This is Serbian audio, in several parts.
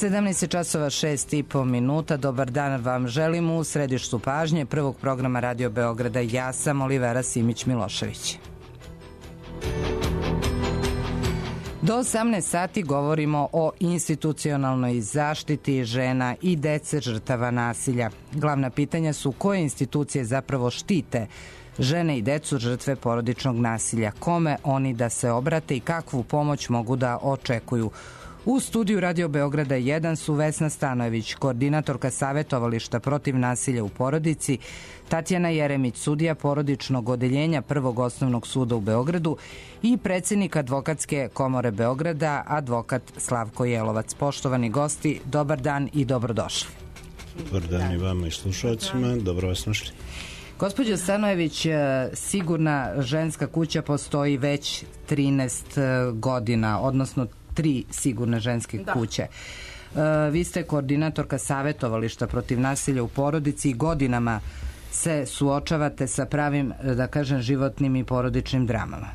17 časova 6,5 minuta. Dobar dan vam želim u središtu pažnje prvog programa Radio Beograda. Ja sam Olivera Simić-Milošević. Do 18 sati govorimo o institucionalnoj zaštiti žena i dece žrtava nasilja. Glavna pitanja su koje institucije zapravo štite žene i decu žrtve porodičnog nasilja, kome oni da se obrate i kakvu pomoć mogu da očekuju. U studiju Radio Beograda 1 su Vesna Stanojević, koordinatorka Savetovališta protiv nasilja u porodici, Tatjana Jeremić, sudija porodičnog odeljenja Prvog osnovnog suda u Beogradu i predsednik Advokatske komore Beograda, advokat Slavko Jelovac. Poštovani gosti, dobar dan i dobrodošli. Dobar dan i vama i slušalcima, dobro vas našli. Gospođo Stanojević, Sigurna ženska kuća postoji već 13 godina, odnosno 3 sigurne ženske kuće. Vi ste koordinatorka Savetovališta protiv nasilja u porodici i godinama se suočavate sa pravim, da kažem, životnim i porodičnim dramama.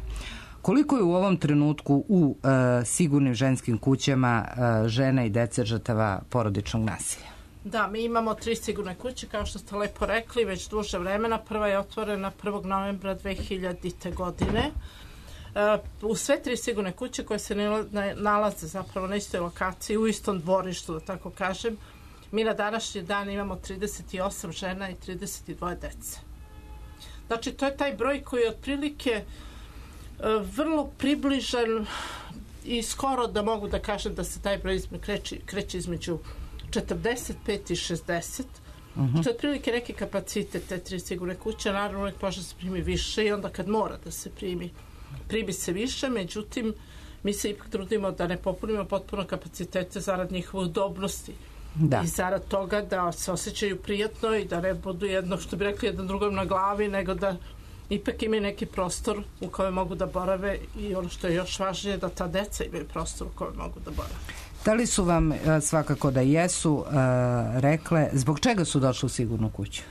Koliko je u ovom trenutku u sigurnim ženskim kućama žena i dece žrtava porodičnog nasilja? Da, mi imamo 3 sigurne kuće, kao što ste lepo rekli, već duže vremena. Prva je otvorena 1. novembra 2000. godine. U sve 3 sigurne kuće koje se nalaze zapravo na istoj lokaciji, u istom dvorištu, da tako kažem, mi na današnji dan imamo 38 žena i 32 dece. Znači, to je taj broj koji je otprilike vrlo približan i skoro da mogu da kažem da se taj broj kreće između 45 i 60, što je otprilike neki kapacitet te 3 sigurne kuće. Naravno, uvijek može se primi više i onda kad mora da se primi se više, međutim, mi se ipak trudimo da ne popunimo potpuno kapacitete zarad njihove udobnosti. I zarad toga da se osjećaju prijatno i da ne budu jedno, što bi rekli, jedan drugom na glavi, nego da ipak imaju neki prostor u kojem mogu da borave i ono što je još važnije, da ta deca imaju prostor u kojem mogu da borave. Da li su vam, svakako da jesu, rekle zbog čega su došli u sigurnu kuću?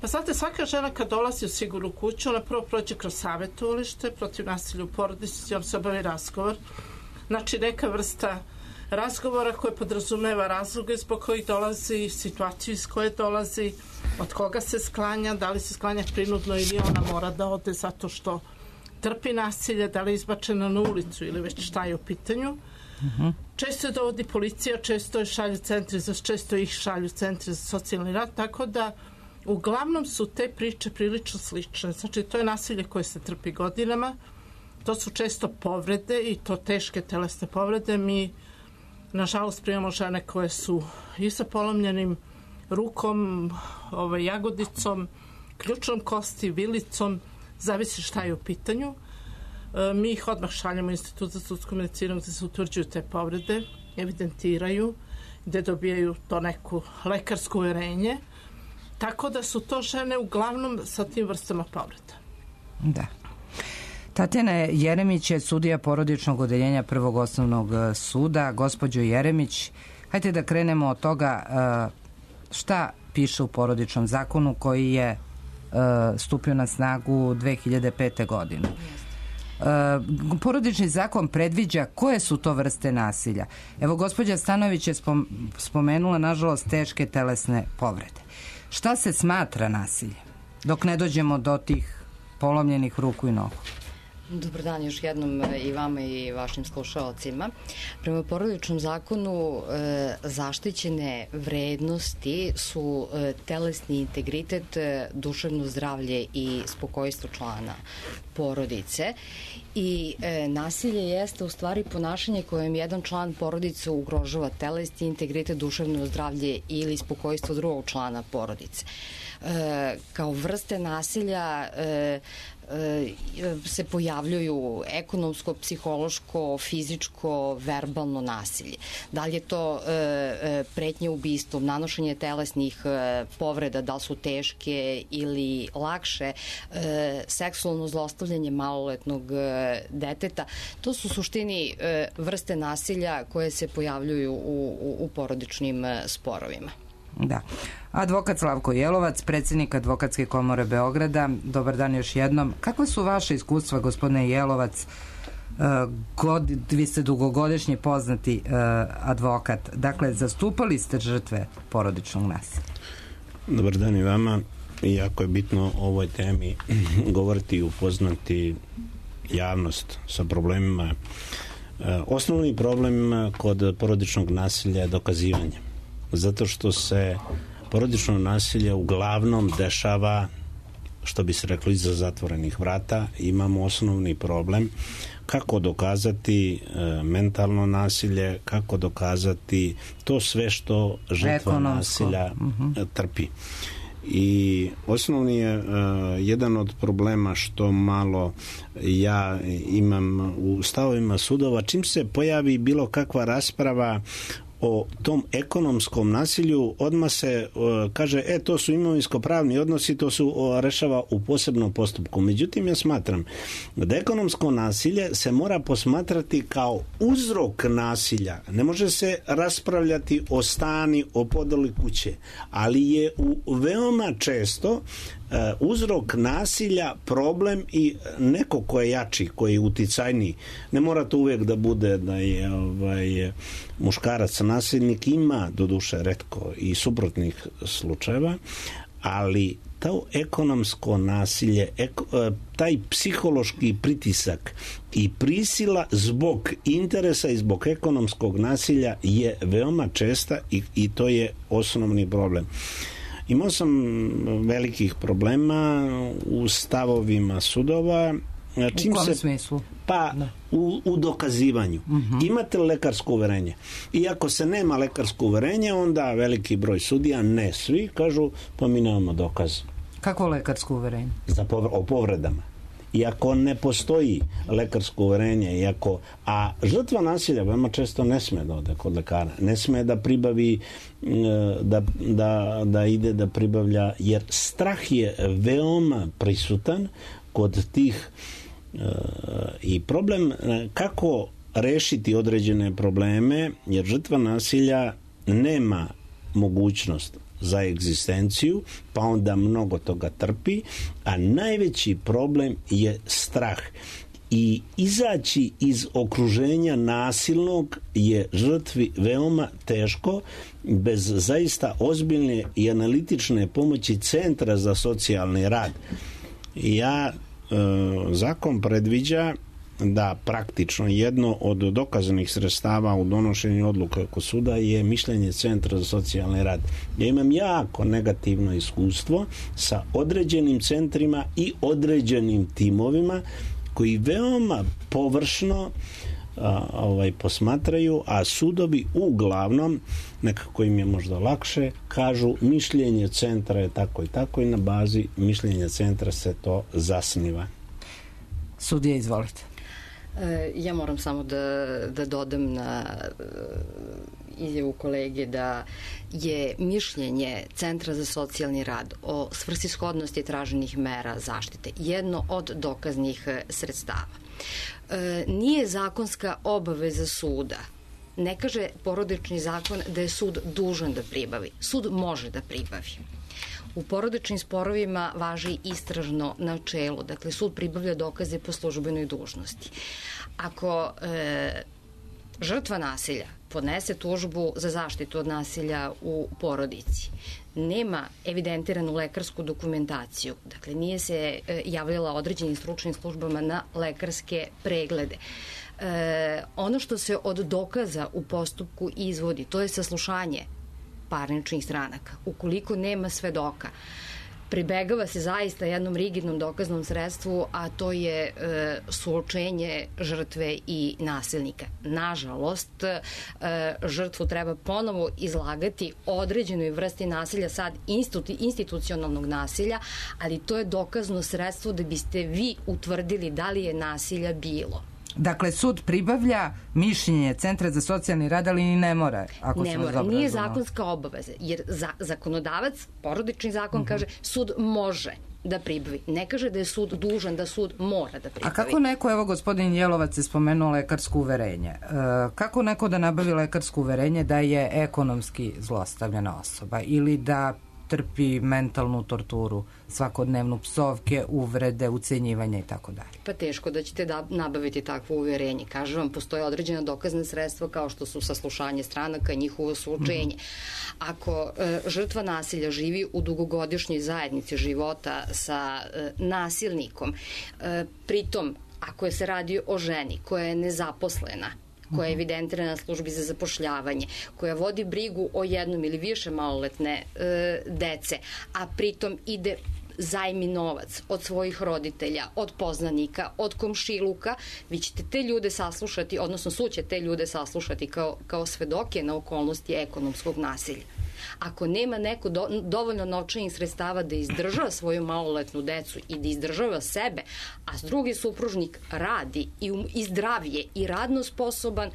Pa znate, svaka žena kad dolazi u sigurnu kuću, ona prvo prođe kroz savetovalište protiv nasilja u porodici, on se obavi razgovor. Znači, neka vrsta razgovora koje podrazumeva razloge zbog kojih dolazi, situaciju iz koje dolazi, od koga se sklanja, da li se sklanja prinudno ili ona mora da ode zato što trpi nasilje, da li je izbačena na ulicu ili već šta je u pitanju. Često je dovodi policija, često ih šalju centri za socijalni rad, tako da uglavnom su te priče prilično slične. Znači, to je nasilje koje se trpi godinama, to su često povrede i to teške telesne povrede. Mi, nažalost, primamo žene koje su i sa polomljenim rukom, jagodicom, ključnom kosti, vilicom, zavisi šta je u pitanju. Mi ih odmah šaljamo u Institut za sudsku medicinu gde se utvrđuju te povrede, evidentiraju, gde dobijaju to neku lekarsku uverenje. Tako da su to žene uglavnom sa tim vrstama povreda. Da. Tatjana Jeremić je sudija porodičnog odeljenja Prvog osnovnog suda. Gospođo Jeremić, hajde da krenemo od toga šta piše u porodičnom zakonu koji je stupio na snagu 2005. godine. Porodični zakon predviđa koje su to vrste nasilja. Evo, gospođa Stanojević je spomenula, nažalost, teške telesne povrede. Šta se smatra nasiljem dok ne dođemo do tih polomljenih ruku i nogu? Dobar dan još jednom i vama i vašim slušalcima. Prema porodičnom zakonu zaštićene vrednosti su telesni integritet, duševno zdravlje i spokojstvo člana porodice i nasilje jeste u stvari ponašanje kojem jedan član porodice ugrožava telesni integritet, duševno zdravlje ili spokojstvo drugog člana porodice. Kao vrste nasilja se pojavljuju ekonomsko, psihološko, fizičko, verbalno nasilje. Da li je to pretnje ubistvom, nanošenje telesnih povreda, da li su teške ili lakše, seksualno zlostavljanje maloletnog deteta, to su u suštini vrste nasilja koje se pojavljuju u porodičnim sporovima. Da. Advokat Slavko Jelovac, predsednik Advokatske komore Beograda, dobar dan još jednom. Kakve su vaše iskustva, gospodine Jelovac, Vi ste dugogodišnji poznati advokat. Dakle, zastupali ste žrtve porodičnog nasilja. Dobar dan i vama. Jako je bitno o ovoj temi govoriti i upoznati javnost sa problemima. Osnovni problem kod porodičnog nasilja je dokazivanje. Zato što se porodično nasilje uglavnom dešava, što bi se reklo, iza zatvorenih vrata. Imamo osnovni problem kako dokazati mentalno nasilje, kako dokazati to sve što žrtva nasilja trpi. I osnovni je jedan od problema što malo ja imam u stavovima sudova, čim se pojavi bilo kakva rasprava o tom ekonomskom nasilju, odmah se kaže, to su imovinsko-pravni odnosi, to su rešava u posebnom postupku. Međutim, ja smatram da ekonomsko nasilje se mora posmatrati kao uzrok nasilja. Ne može se raspravljati o stani, o podeli kuće, ali je veoma često uzrok nasilja problem i neko ko je jači, koji je uticajniji. Ne mora to uvijek da bude da je muškarac nasilnik, ima doduše retko i suprotnih slučajeva, ali to ekonomsko nasilje, taj psihološki pritisak i prisila zbog interesa i zbog ekonomskog nasilja je veoma česta i to je osnovni problem. Imao sam velikih problema u stavovima sudova. U kom smislu? Pa u dokazivanju. Imate li lekarsko uverenje? I ako se nema lekarsko uverenje, onda veliki broj sudija, ne svi, kažu pa mi nemamo dokaz. Kako lekarsko uverenje? O povredama. Iako ne postoji lekarsko uverenje, a žrtva nasilja veoma često ne sme da ode kod lekara, ne sme da pribavi, da ide da pribavlja, jer strah je veoma prisutan kod tih i problem kako rešiti određene probleme, jer žrtva nasilja nema mogućnost za egzistenciju, pa onda mnogo toga trpi, a najveći problem je strah. I izaći iz okruženja nasilnog je žrtvi veoma teško bez zaista ozbiljne i analitične pomoći Centra za socijalni rad. Zakon predviđa da praktično jedno od dokazanih sredstava u donošenju odluke kod suda je mišljenje Centra za socijalni rad. Ja imam jako negativno iskustvo sa određenim centrima i određenim timovima koji veoma površno posmatraju, a sudovi uglavnom, nekako im je možda lakše, kažu mišljenje centra je tako i tako i na bazi mišljenja centra se to zasniva. Sudija, izvolite. Ja moram samo da dodam na izjavu kolege da je mišljenje Centra za socijalni rad o svrsishodnosti traženih mera zaštite jedno od dokaznih sredstava. Nije zakonska obaveza suda. Ne kaže porodični zakon da je sud dužan da pribavi. Sud može da pribavi. U porodičnim sporovima važi istražno načelo, dakle sud pribavlja dokaze po službenoj dužnosti. Ako žrtva nasilja podnese tužbu za zaštitu od nasilja u porodici, nema evidentiranu lekarsku dokumentaciju, dakle nije se javljala određenim stručnim službama na lekarske preglede. Ono što se od dokaza u postupku izvodi, to je saslušanje parničnih stranaka. Ukoliko nema svedoka, pribegava se zaista jednom rigidnom dokaznom sredstvu, a to je suočenje žrtve i nasilnika. Nažalost, žrtvu treba ponovo izlagati određenoj vrsti nasilja, sad institucionalnog nasilja, ali to je dokazno sredstvo da biste vi utvrdili da li je nasilja bilo. Dakle, sud pribavlja mišljenje Centra za socijalni rad, ali ni ne mora. Ne mora, nije zakonska obaveza, jer zakonodavac, porodični zakon kaže sud može da pribavi. Ne kaže da je sud dužan, da sud mora da pribavi. A kako neko, evo gospodin Jelovac je spomenuo lekarsko uverenje, kako neko da nabavi lekarsko uverenje da je ekonomski zlostavljena osoba ili da trpi mentalnu torturu, svakodnevnu psovke, uvrede, ucenjivanja i tako dalje. Pa teško da ćete nabaviti takvo uvjerenje. Kažem vam, postoje određena dokazna sredstva kao što su saslušanje stranaka i njihovo suočenje. Ako žrtva nasilja živi u dugogodišnjoj zajednici života sa nasilnikom, pritom ako se radi o ženi koja je nezaposlena, koja je evidentirana na službi za zapošljavanje, koja vodi brigu o jednom ili više maloletne dece, a pritom ide zajmi novac od svojih roditelja, od poznanika, od komšiluka, vi ćete te ljude saslušati, odnosno sud će te ljude saslušati kao svedoke na okolnosti ekonomskog nasilja. Ako nema neko dovoljno novčanih sredstava da izdržava svoju maloletnu decu i da izdržava sebe, a drugi supružnik radi i zdravije i radno sposoban,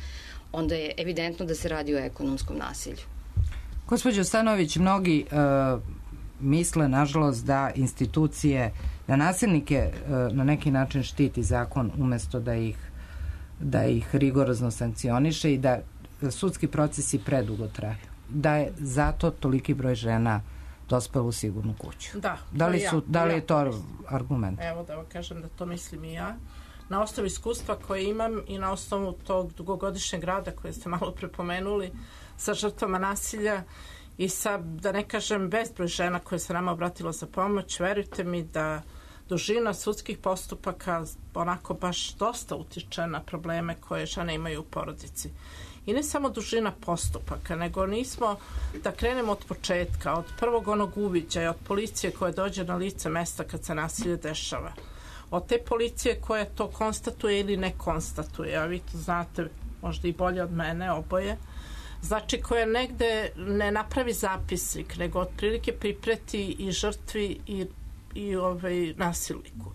onda je evidentno da se radi o ekonomskom nasilju. Gospođo Stanović, mnogi misle, nažalost, da institucije, da nasilnike na neki način štiti zakon umesto da ih rigorozno sankcioniše i da sudski procesi predugo traju. Da je zato toliki broj žena dospelo u sigurnu kuću. Da li je to argument? Evo da vam kažem da to mislim i ja. Na osnovu iskustva koje imam i na osnovu tog dugogodišnjeg rada koje ste malo prepomenuli sa žrtvama nasilja i sa, da ne kažem, bezbroj žena koje se nama obratilo za pomoć, verujte mi da dužina sudskih postupaka onako baš dosta utiče na probleme koje žene imaju u porodici. I ne samo dužina postupaka, nego nismo da krenemo od početka, od prvog onog uviđaja, od policije koja dođe na lice mesta kad se nasilje dešava. Od te policije koja to konstatuje ili ne konstatuje, a vi to znate možda i bolje od mene, oboje. Znači koja negde ne napravi zapisnik, nego otprilike pripreti i žrtvi i nasilniku.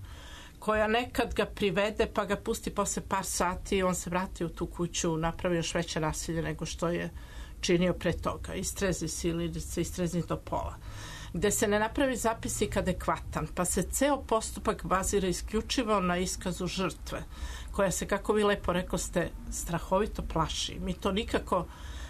Koja nekad ga privede pa ga pusti posle par sati i on se vrati u tu kuću, napravi još veće nasilje nego što je činio pre toga. Istrezi se ili se istrezni do pola. Gde se ne napravi zapisnik adekvatan, pa se ceo postupak bazira isključivo na iskazu žrtve, koja se, kako vi lepo rekoste, strahovito plaši. Mi to nikako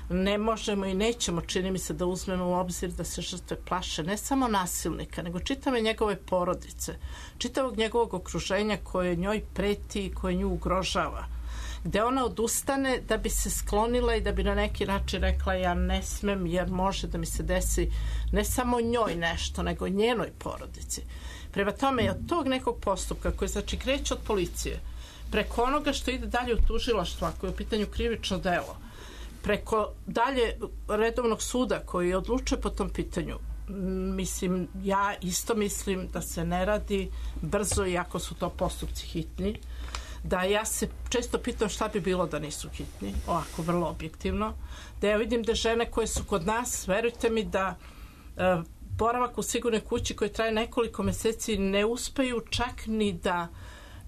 ne možemo i nećemo, čini mi se, da uzmemo u obzir da se žrtve plaše ne samo nasilnika, nego čitave njegove porodice, čitavog njegovog okruženja koje njoj preti i koje nju ugrožava. Gde ona odustane da bi se sklonila i da bi na neki način rekla ja ne smem jer može da mi se desi ne samo njoj nešto, nego njenoj porodici. Prema tome, od tog nekog postupka koji znači kreće od policije, preko onoga što ide dalje u tužilaštvo, ako je u pitanju krivično delo, preko dalje redovnog suda koji odlučuje po tom pitanju, ja isto mislim da se ne radi brzo, iako su to postupci hitni, da ja se često pitam šta bi bilo da nisu hitni, ovako vrlo objektivno, da ja vidim da žene koje su kod nas, verujte mi da boravak u sigurnoj kući koji traje nekoliko meseci ne uspeju čak ni da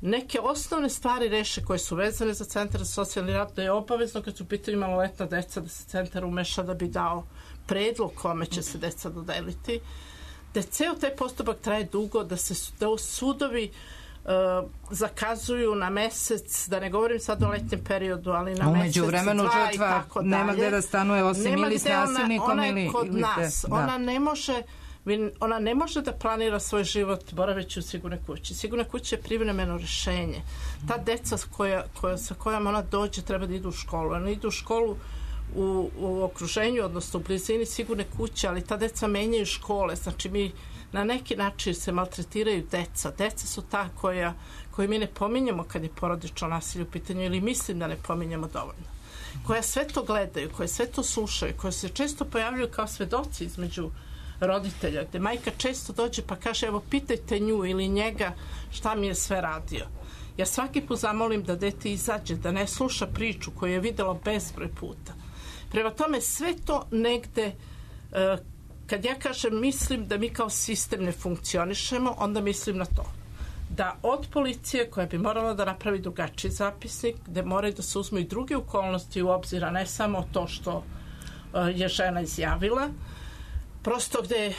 neke osnovne stvari reše koje su vezane za centar za socijalni rad, da je obavezno kad su u pitanju maloletna deca da se centar umeša da bi dao predlog kome će se deca dodeliti, da ceo taj postupak traje dugo, da sudovi zakazuju na mesec, da ne govorim sad o letnjem periodu, ali na mesec, dva i tako dalje. Nema gde da stanuje osim ili s nasilnikom ona je kod nas. Ona ne može da planira svoj život boraveći u sigurnoj kući. Sigurna kuća je privremeno rešenje. Ta deca sa kojom ona dođe treba da idu u školu. Ona idu u školu u okruženju, odnosno u blizini sigurne kuće, ali ta deca menjaju škole. Znači mi na neki način se maltretiraju deca. Deca su ta koje mi ne pominjemo kad je porodično nasilje u pitanju ili mislim da ne pominjemo dovoljno. Koja sve to gledaju, koje sve to slušaju, koje se često pojavljuju kao svedoci između roditelja, gde majka često dođe pa kaže evo pitajte nju ili njega šta mi je sve radio. Ja svaki put zamolim da dete izađe, da ne sluša priču koju je videlo bezbroj puta. Prema tome sve to negde, kad ja kažem mislim da mi kao sistem ne funkcionišemo, onda mislim na to. Da od policije koja bi morala da napravi drugačiji zapisnik, gde moraju da se uzmu i druge okolnosti u obzira, ne samo to što je žena izjavila, prosto gde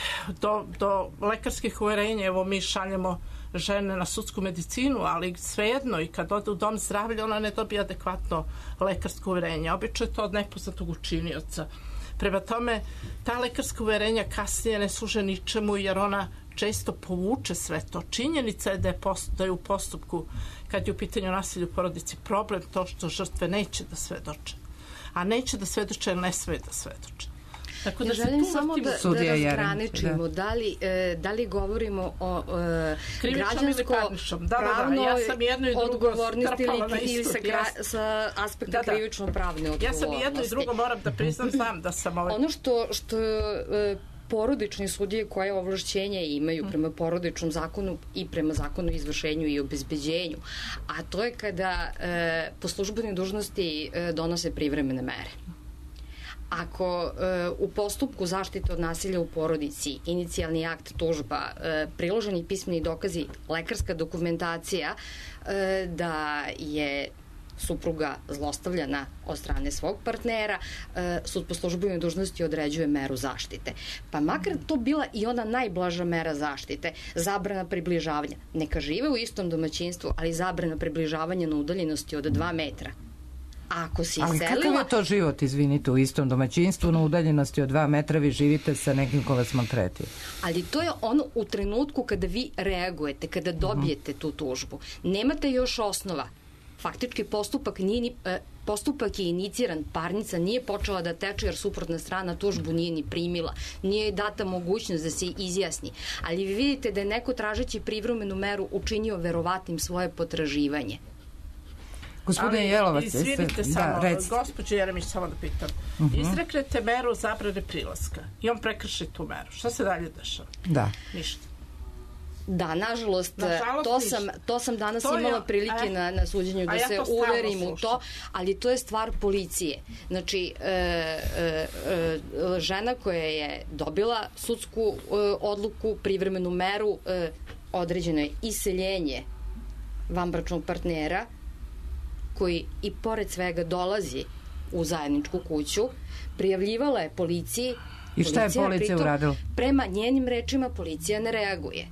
do lekarskih uverenja, evo mi šaljemo žene na sudsku medicinu, ali svejedno i kad ode u dom zdravlja ona ne dobije adekvatno lekarsko uverenje. Obično je to od nepoznatog učinioca. Prema tome, ta lekarska uverenja kasnije ne služe ničemu jer ona često povuče sve to. Činjenica je da je u postupku, kad je u pitanju nasilja u porodici, problem to što žrtve neće da svedoče. A neće da svedoče jer ne sme da svedoče. Tako da želim samo da razgraničimo da li govorimo o građansko-pravnoj odgovornosti ili sa aspekta krivično-pravne odgovornosti. Ja sam i jedno i drugo moram da priznam, znam da sam ono što porodični sudije koje ovlašćenja imaju prema porodičnom zakonu i prema zakonu o izvršenju i obezbeđenju, a to je kada po službenoj dužnosti donose privremene mere. Ako u postupku zaštite od nasilja u porodici, inicijalni akt, tužba, priloženi pismeni dokazi, lekarska dokumentacija da je supruga zlostavljana od strane svog partnera, sud po službenoj dužnosti određuje meru zaštite. Pa makar to bila i ona najblaža mera zaštite, zabrana približavanja. Neka žive u istom domaćinstvu, ali zabrana približavanja na udaljenosti od 2 metra. Ako si ali iselila... kakav je to život, izvinite, u istom domaćinstvu na udaljenosti od 2 metra vi živite sa nekim ko vas maltretira? Ali to je ono u trenutku kada vi reagujete, kada dobijete tu tužbu. Nemate još osnova. Faktički postupak je iniciran, parnica nije počela da teče jer suprotna strana tužbu nije ni primila, nije data mogućnost da se izjasni, ali vi vidite da je neko tražeći privremenu meru učinio verovatnim svoje potraživanje. Gospodine Jelovac, izvinite samo, gospođo Jeremić, samo da pitam. Izreknete meru zabrane prilaska i on prekrši tu meru. Šta se dalje dešava? Da. Ništa. Da, nažalost to sam danas imala prilike na suđenju da se uverim u to, ali to je stvar policije. Znači, žena koja je dobila sudsku odluku, privremenu meru, određeno je iseljenje vanbračnog partnera, koji i pored svega dolazi u zajedničku kuću, prijavljivala je policiji. I šta je policija uradila? Prema njenim rečima policija ne reaguje.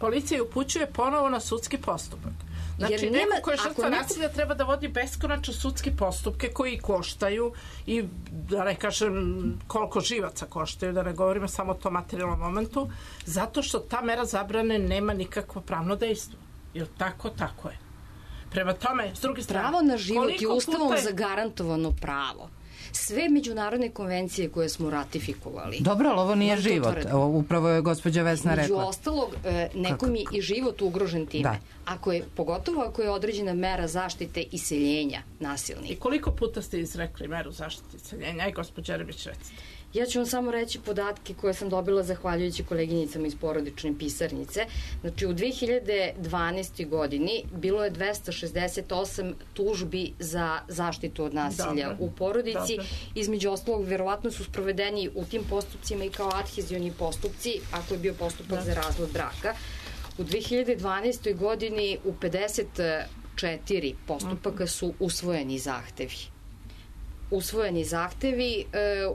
Policija upućuje ponovo na sudski postupak. Znači, neko ko je žrtva nasilja treba da vodi beskonačno sudski postupke koji koštaju i, da ne kažem, koliko živaca koštaju, da ne govorimo samo o tom materijalnom momentu, zato što ta mera zabrane nema nikakvo pravno dejstvo. Jer tako je. Prema tome, s druge strane... Pravo na život je ustavom zagarantovano pravo. Sve međunarodne konvencije koje smo ratifikovali... Dobro, ali ovo nije život. Upravo je gospođa Vesna rekla. Među ostalog, nekom je i život ugrožen time. Pogotovo ako je određena mera zaštite iseljenja nasilnika. I koliko puta ste izrekli meru zaštite iseljenja? Aj, gospođa Jeremić, recite. Ja ću vam samo reći podatke koje sam dobila zahvaljujući koleginicama iz porodične pisarnice. Znači, u 2012. godini bilo je 268 tužbi za zaštitu od nasilja u porodici. Između ostalog, verovatno su sprovedeni u tim postupcima i kao adhezioni postupci, ako je bio postupak za razvod braka. U 2012. godini u 54 postupaka su usvojeni zahtevi.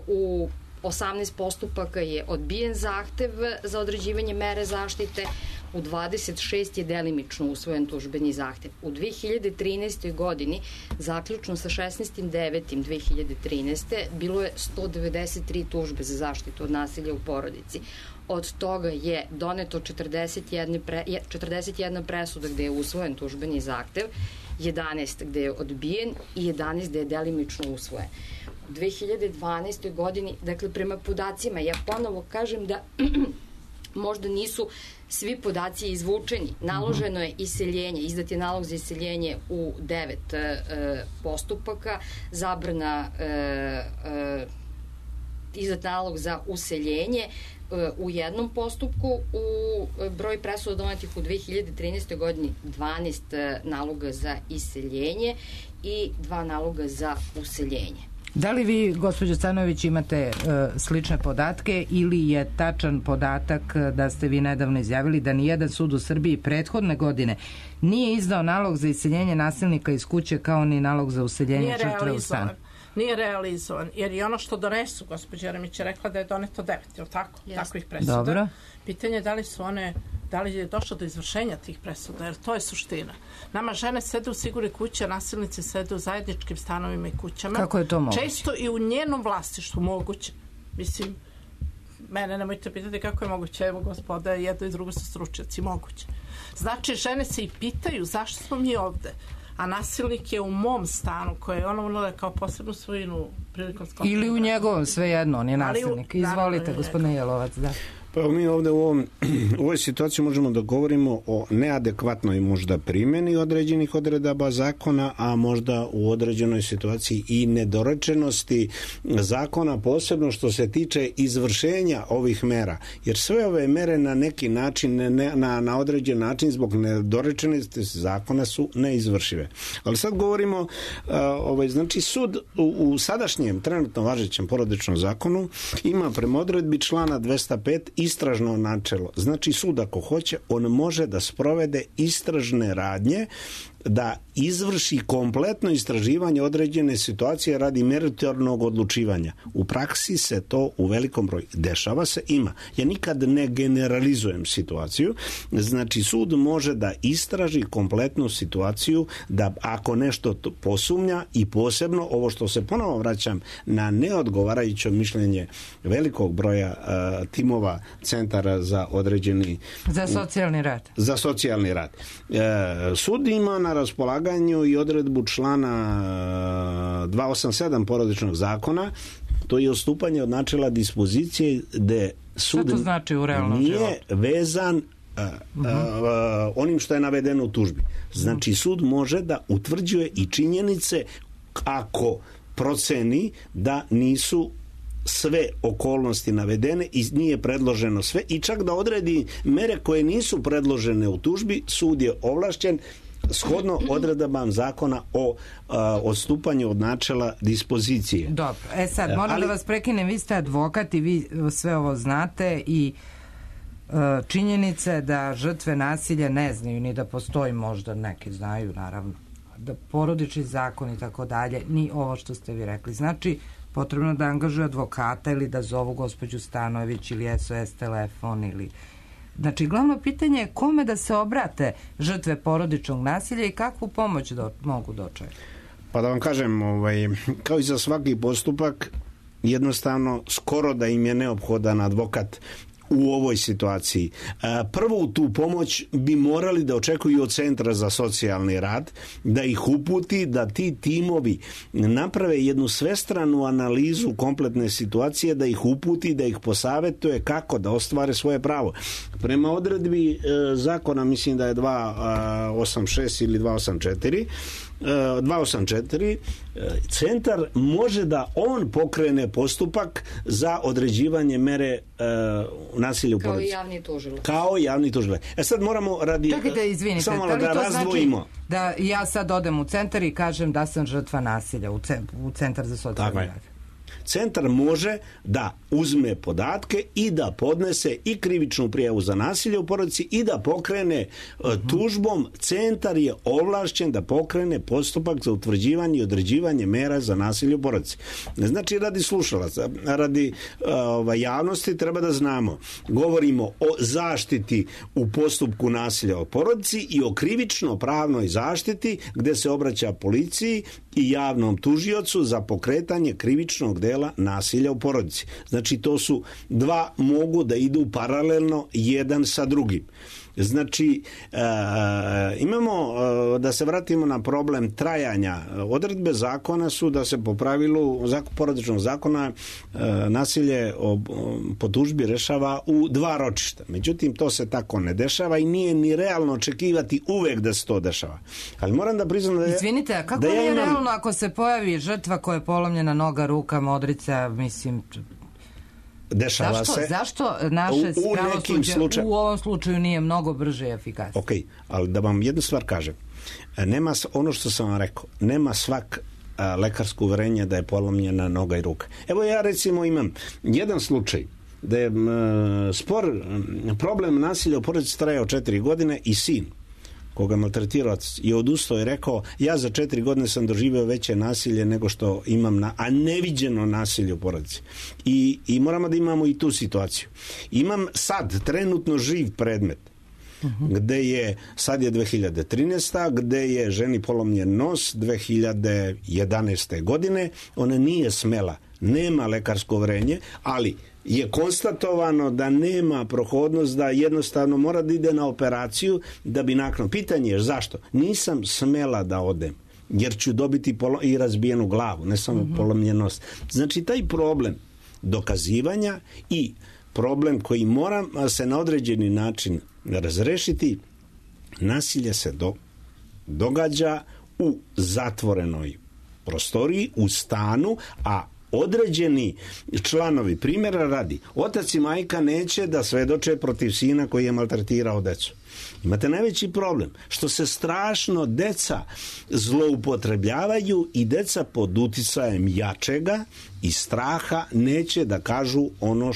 U 18 postupaka je odbijen zahtev za određivanje mere zaštite, u 26 je delimično usvojen tužbeni zahtev. U 2013. godini, zaključno sa 16.9.2013. bilo je 193 tužbe za zaštitu od nasilja u porodici. Od toga je doneto 41 presuda gde je usvojen tužbeni zahtev, 11 gde je odbijen i 11 gde je delimično usvojen. U 2012. godini, dakle, prema podacima, ja ponovo kažem da možda nisu svi podaci izvučeni. Naloženo je iseljenje, izdat je nalog za iseljenje u 9 postupaka, zabrana izdat nalog za useljenje u jednom postupku, u broj presuda donetih u 2013. godini 12 naloga za iseljenje i 2 naloga za useljenje. Da li vi, gospođo Stanojević, imate slične podatke ili je tačan podatak da ste vi nedavno izjavili da nijedan sud u Srbiji prethodne godine nije izdao nalog za iseljenje nasilnika iz kuće kao ni nalog za useljenje žrtve u stan? Nije realizovan, jer i ono što donesu, gospođa Jeremić je rekla da je doneto 9, je li tako? Takvih presuda. Dobro. Pitanje je da li je došlo do izvršenja tih presuda, jer to je suština. Nama žene sede u sigurnoj kući, a nasilnici sede u zajedničkim stanovima i kućama. Kako je to moguće? Često i u njenom vlasništvu moguće. Mislim, mene nemojte pitati kako je moguće, evo gospoda, jedno i drugo su stručnjaci, moguće. Znači, žene se i pitaju zašto smo mi ovde, a nasilnik je u mom stanu koje je ono unala kao posebnu svojinu prilikom sklopanja. Ili u njegovom, svejedno, on je nasilnik. Izvolite, gospodine Jelovac, da. Pa mi ovdje u ovoj situaciji možemo da govorimo o neadekvatnoj možda primjeni određenih odredaba zakona, a možda u određenoj situaciji i nedorečenosti zakona, posebno što se tiče izvršenja ovih mera. Jer sve ove mere na neki način, na određen način zbog nedorečenosti zakona su neizvršive. Ali sad govorimo, znači sud u sadašnjem trenutno važećem porodičnom zakonu ima prema odredbi člana 205 istražno načelo. Znači sud ako hoće, on može da sprovede istražne radnje, da izvrši kompletno istraživanje određene situacije radi meritornog odlučivanja. U praksi se to u velikom broju dešava se, ima. Ja nikad ne generalizujem situaciju. Znači sud može da istraži kompletnu situaciju, da ako nešto posumnja i posebno ovo što se ponovo vraćam na neodgovarajuće mišljenje velikog broja timova centara za određeni za socijalni rad. Sud ima na raspolaganju i odredbu člana 287 porodičnog zakona, to je odstupanje od načela dispozicije gde sud znači u nije vezan onim što je navedeno u tužbi. Znači sud može da utvrđuje i činjenice ako proceni da nisu sve okolnosti navedene i nije predloženo sve i čak da odredi mere koje nisu predložene u tužbi, sud je ovlašćen shodno odredbama zakona o odstupanju od načela dispozicije. Dobro, sad moram da vas prekinem, vi ste advokat i vi sve ovo znate i činjenice da žrtve nasilja ne znaju ni da postoji, možda neki znaju naravno, da porodični zakon i tako dalje, ni ovo što ste vi rekli. Znači, potrebno da angažuje advokata ili da zovu gospođu Stanojević ili SOS telefon ili... Znači, glavno pitanje je kome da se obrate žrtve porodičnog nasilja i kakvu pomoć mogu dočekati? Pa da vam kažem, kao i za svaki postupak, jednostavno skoro da im je neophodan advokat u ovoj situaciji. Prvo tu pomoć bi morali da očekuju od Centra za socijalni rad, da ih uputi, da ti timovi naprave jednu svestranu analizu kompletne situacije, da ih uputi, da ih posavetuje kako da ostvare svoje pravo. Prema odredbi zakona, mislim da je 286 ili 284, centar može da on pokrene postupak za određivanje mere nasilja u porodici. Kao javni tužilac. Sad moramo radi... Čekajte, izvinite, samo da razdvojimo. Znači da ja sad odem u centar i kažem da sam žrtva nasilja u Centar za socijalni rad? Centar može da uzme podatke i da podnese i krivičnu prijavu za nasilje u porodici i da pokrene tužbom. Centar je ovlašćen da pokrene postupak za utvrđivanje i određivanje mera za nasilje u porodici. Znači, radi slušalaca, radi javnosti treba da znamo. Govorimo o zaštiti u postupku nasilja u porodici i o krivično-pravnoj zaštiti gde se obraća policiji i javnom tužiocu za pokretanje krivičnog dela nasilja u porodici. Znači, to su dva, mogu da idu paralelno jedan sa drugim. Znači, imamo, da se vratimo na problem trajanja. Odredbe zakona su da se po pravilu porodičnog zakona nasilje po tužbi rešava u 2 ročišta. Međutim, to se tako ne dešava i nije ni realno očekivati uvek da se to dešava. Ali moram da priznam da je... Izvinite, a kako nije realno ako se pojavi žrtva koja je polomljena noga, ruka, modrica, mislim... Dešava se. Zašto naše pravosuđe u ovom slučaju nije mnogo brže i efikasnije? Ok, ali da vam jednu stvar kažem. Nema, ono što sam vam rekao, nema svak lekarsko uverenje da je polomljena noga i ruka. Evo ja recimo imam jedan slučaj da je problem nasilja u porodici trajao 4 godine i sin koga maltretirac je odustao i rekao, ja za 4 godine sam doživio veće nasilje nego što imam a neviđeno nasilje u porodici. I moramo da imamo i tu situaciju. Imam sad trenutno živ predmet gde je, sad je 2013. gde je ženi polomljen nos 2011. godine. Ona nije smela nema lekarsko uverenje, ali je konstatovano da nema prohodnost, da jednostavno mora da ide na operaciju da bi nakon. Pitanje je zašto? Nisam smela da odem, jer ću dobiti i razbijenu glavu, ne samo polomljenost. Znači, taj problem dokazivanja i problem koji mora se na određeni način razrešiti, nasilje se događa u zatvorenoj prostoriji, u stanu, a određeni članovi, primjera radi, otac i majka neće da svedoče protiv sina koji je maltretirao decu. Imate najveći problem, što se strašno deca zloupotrebljavaju i deca pod uticajem jačega i straha neće da kažu ono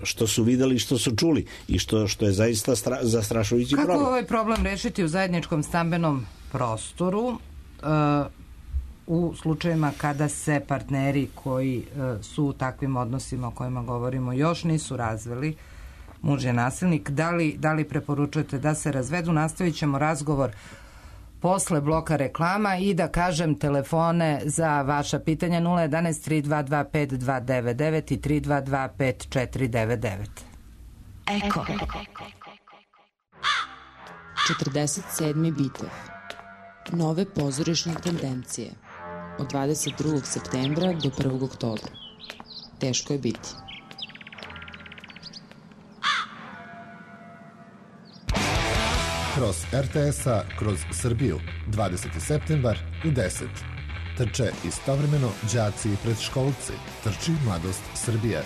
što su videli, što su čuli i što je zaista zastrašujući problem. Kako ovaj problem rešiti u zajedničkom stambenom prostoru u slučajevima kada se partneri koji su u takvim odnosima o kojima govorimo još nisu razveli, muž je nasilnik, da li preporučujete da se razvedu? Nastavit ćemo razgovor posle bloka reklama i da kažem telefone za vaša pitanja 011 322 5299 i 322 5499. Eko. 47. bitev. Nove pozorišne tendencije. Od 22. septembra do 1. oktobra. Teško je biti. Kroz RTS-a, kroz Srbiju, 20. septembar u 10. Trče istovremeno đaci i predškolci. Trči Mladost Srbije.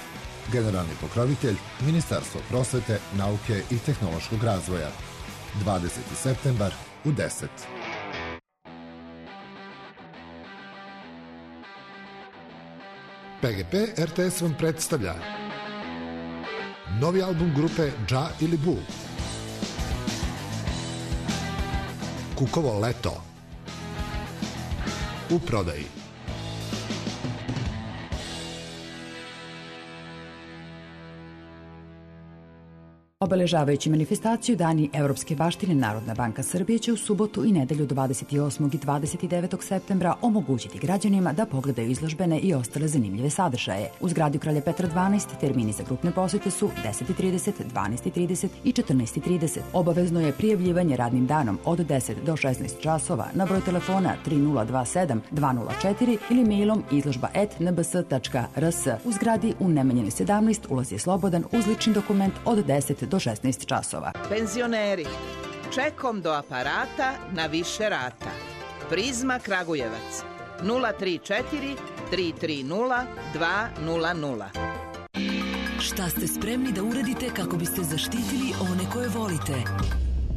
Generalni pokrovitelj Ministarstvo prosvete, nauke i tehnološkog razvoja. 20. septembar u 10. PGP RTS vam predstavlja novi album grupe Dža ili Bu. Kukovo leto. U prodaji. Obeležavajući manifestaciju Dani evropske baštine, Narodna banka Srbije će u subotu i nedelju 28. i 29. septembra omogućiti građanima da pogledaju izložbene i ostale zanimljive sadržaje. U zgradi Kralja Petra 12 termini za grupne posete su 10:30, 12:30 i 14:30. Obavezno je prijavljivanje radnim danom od 10 do 16 časova na broj telefona 3027 204 ili mailom izložba@nbs.rs. U zgradi u Nemanjine 17 ulaz je slobodan uz lični dokument od 10 do 16 časova. Penzioneri, čekom do aparata na više rata. Prizma Kragujevac 034 330 200. Šta ste spremni da uradite kako biste zaštitili one koje volite?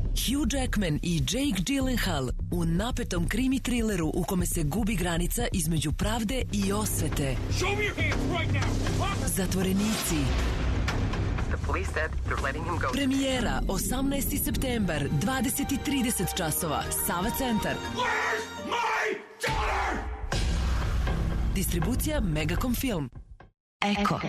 Hugh Jackman i Jake Gyllenhaal u napetom krimi trileru u kome se gubi granica između pravde i osvete. Zatvorenici. Premijera 18. septembar, 20:30 časova, Sava centar. Distribucija Megacom Film. Eko.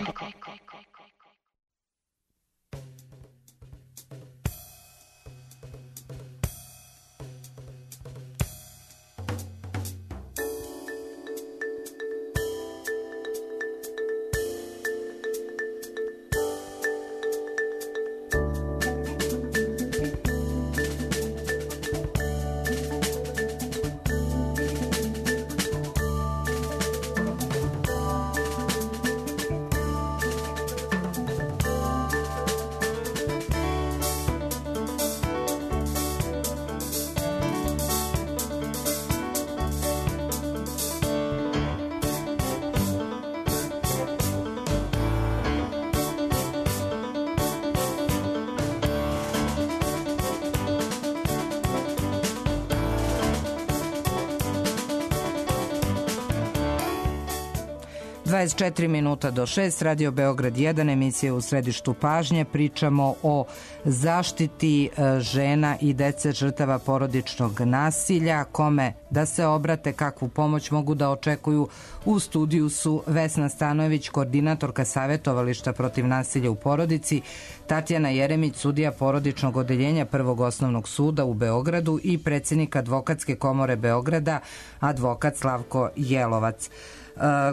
(24 do 6), Radio Beograd 1, emisija u središtu pažnje. Pričamo o zaštiti žena i dece žrtava porodičnog nasilja, kome da se obrate, kakvu pomoć mogu da očekuju. U studiju su Vesna Stanojević, koordinatorka savjetovališta protiv nasilja u porodici, Tatjana Jeremić, sudija porodičnog odeljenja Prvog osnovnog suda u Beogradu i predsjednik Advokatske komore Beograda, advokat Slavko Jelovac.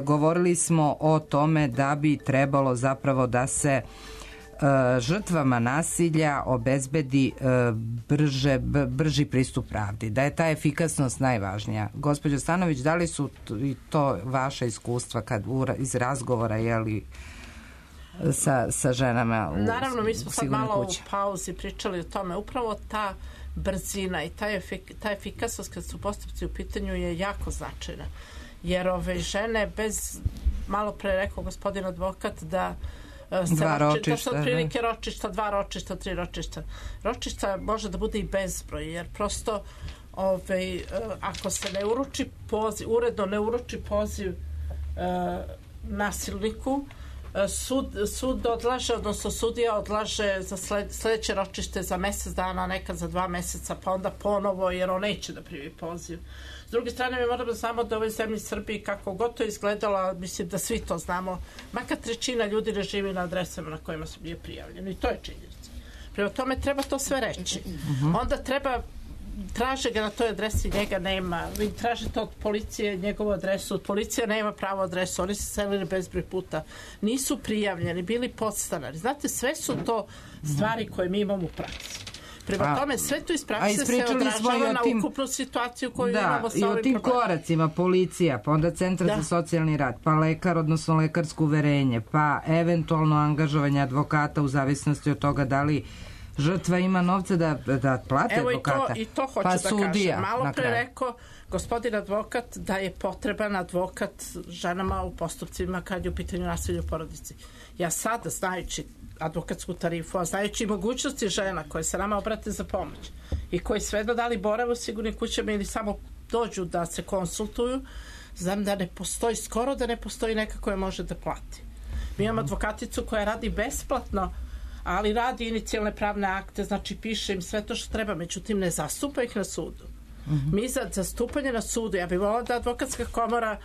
govorili smo o tome da bi trebalo zapravo da se žrtvama nasilja obezbedi brži pristup pravdi, da je ta efikasnost najvažnija. Gospođo Stanović, da li su i to vaša iskustva kad iz razgovora sa ženama u Naravno, mi smo sad malo kući. u pauzi pričali o tome. Upravo ta brzina i ta efikasnost kad su postupci u pitanju je jako značajna. Jer ove žene bez, malo pre rekao gospodin advokat da dva ročišta, to su otprilike ročišta, 2 ročišta, 3 ročišta. Ročišta može da bude i bezbroj, jer prosto ako se ne uruči poziv, uredno ne uruči poziv nasilniku, sud odlaže, odnosno sudija odlaže za sledeće ročište za mesec dana, nekad za 2 meseca, pa onda ponovo, jer on neće da primi poziv. S druge strane, mi moramo da znamo da u ovoj zemlji Srbiji, kako god to izgledalo, mislim da svi to znamo, makar 1/3 ljudi ne živi na adresama na kojima su bili prijavljeni. I to je činjenica. Prema tome treba to sve reći. Onda treba, traže ga na toj adresi, njega nema. Vi tražite od policije njegovu adresu, policija nema pravu adresu, oni se selili bezbroj puta. Nisu prijavljeni, bili podstanari. Znate, sve su to stvari koje mi imamo u praksi. Prema tome, sve to iz prakse se odražava na ukupnu situaciju koju imamo sa ovim problemom. I o tim koracima, policija, pa onda Centar za socijalni rad, pa lekar, odnosno lekarsko uverenje, pa eventualno angažovanje advokata u zavisnosti od toga da li žrtva ima novca da plate advokata. Evo i to hoću da kažem. Malo pre rekao gospodin advokat da je potreban advokat ženama u postupcima kad je u pitanju nasilja u porodici. Ja sada, znajući advokatsku tarifu, a znajući mogućnosti žena koje se nama obrate za pomoć i koji svejedno da li borave u sigurnim kućama ili samo dođu da se konsultuju, znam da ne postoji, skoro da ne postoji neka koja može da plati. Mi imamo advokaticu koja radi besplatno, ali radi inicijalne pravne akte, znači piše im sve to što treba, međutim ne zastupa ih na sudu. Mi za zastupanje na sudu, ja bih volila da advokatska komora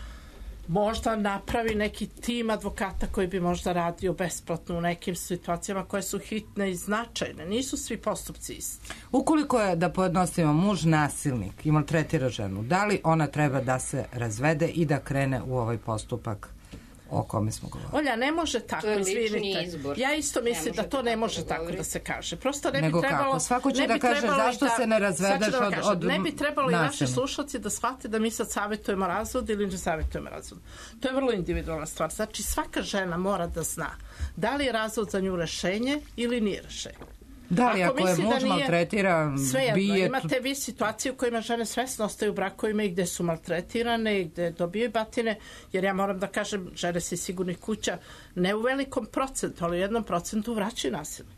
možda napravi neki tim advokata koji bi možda radio besplatno u nekim situacijama koje su hitne i značajne. Nisu svi postupci isti. Ukoliko je, da pojednostavimo, muž nasilnik i maltretira ženu, da li ona treba da se razvede i da krene u ovaj postupak o kome smo govorili? Olja, ne može tako, izvinite. Ja isto mislim da to ne može tako da se kaže. Prosto ne bi trebalo... Kako? Svako će da kaže zašto se ne razvedeš od ne bi trebalo i naši slušalci da shvate da mi sad savjetujemo razvod ili ne savjetujemo razvod. To je vrlo individualna stvar. Znači, svaka žena mora da zna da li je razvod za nju rešenje ili nije rešenje. Da li ako je muž maltretira, bije... Imate vi situacije u kojima žene svesno ostaju u brakovima i gde su maltretirane i gde dobijaju batine, jer ja moram da kažem, žene se iz sigurnih kuća ne u velikom procentu, ali u 1% vraćaju nasilje.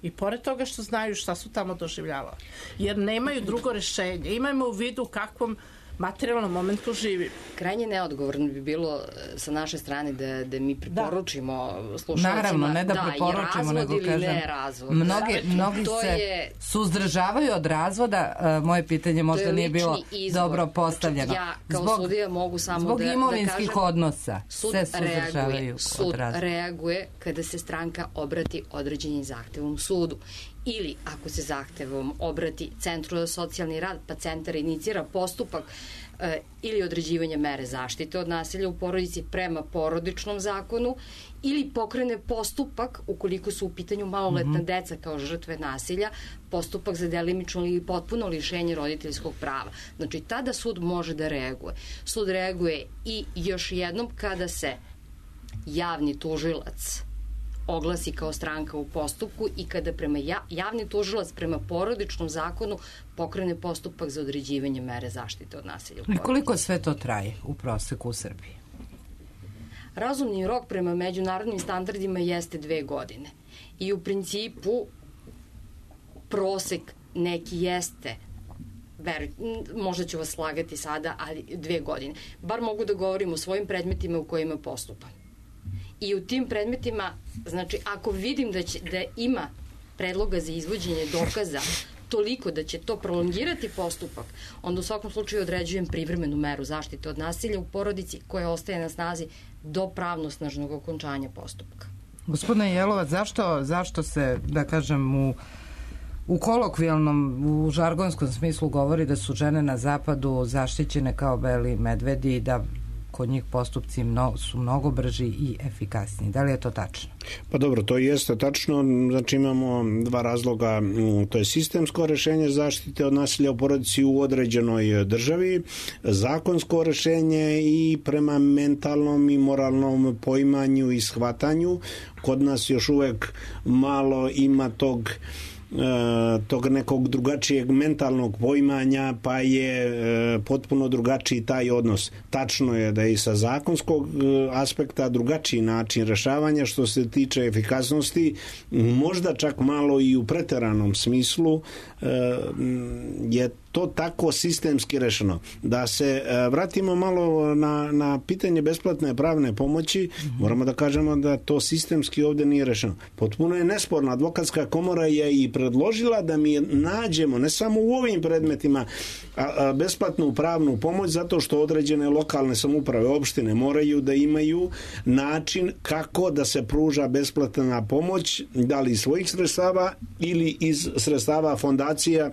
I pored toga što znaju šta su tamo doživljavali. Jer nemaju drugo rešenje. Imajmo u vidu kakvom materijalnom momentu živimo. Krajnje neodgovorno bi bilo sa naše strane da mi preporučimo slušalcima. Naravno, ne da preporučimo, nego kažem. Mnogi se suzdržavaju od razvoda. Moje pitanje možda nije bilo dobro postavljeno. Ja kao sudija mogu samo da kažem. Zbog imovinskih odnosa se suzdržavaju od razvoda. Sud reaguje kada se stranka obrati određenim zahtevom sudu. Ili ako se zahtevom obrati Centru za socijalni rad, pa centar inicira postupak ili određivanje mere zaštite od nasilja u porodici prema porodičnom zakonu, ili pokrene postupak, ukoliko su u pitanju maloletna deca kao žrtve nasilja, postupak za delimično ili potpuno lišenje roditeljskog prava. Znači, tada sud može da reaguje. Sud reaguje i još jednom kada se javni tužilac oglasi kao stranka u postupku i kada prema javni tužilac prema porodičnom zakonu pokrene postupak za određivanje mere zaštite od nasilja u porodici. I koliko sve to traje u proseku u Srbiji? Razumni rok prema međunarodnim standardima jeste 2 godine. I u principu prosek neki jeste, možda ću vas slagati sada, ali 2 godine. Bar mogu da govorim o svojim predmetima u kojima postupam. I u tim predmetima, znači, ako vidim da ima predloga za izvođenje dokaza toliko da će to prolongirati postupak, onda u svakom slučaju određujem privremenu meru zaštite od nasilja u porodici koja ostaje na snazi do pravnosnažnog okončanja postupka. Gospodine Jelovac, zašto se, da kažem, u kolokvijalnom, u žargonskom smislu govori da su žene na zapadu zaštićene kao beli medvedi i da kod njih postupci su mnogo brži i efikasniji. Da li je to tačno? Pa dobro, to jeste tačno. Znači imamo dva razloga. To je sistemsko rešenje zaštite od nasilja u porodici u određenoj državi, zakonsko rešenje i prema mentalnom i moralnom poimanju i shvatanju. Kod nas još uvek malo ima tog nekog drugačijeg mentalnog poimanja, pa je potpuno drugačiji taj odnos. Tačno je da je i sa zakonskog aspekta drugačiji način rešavanja što se tiče efikasnosti, možda čak malo i u preteranom smislu je to tako sistemski rešeno. Da se vratimo malo na pitanje besplatne pravne pomoći, moramo da kažemo da to sistemski ovde nije rešeno. Potpuno je nesporno. Advokatska komora je i predložila da mi nađemo, ne samo u ovim predmetima, besplatnu pravnu pomoć, zato što određene lokalne samouprave, opštine moraju da imaju način kako da se pruža besplatna pomoć, da li iz svojih sredstava ili iz sredstava fondacija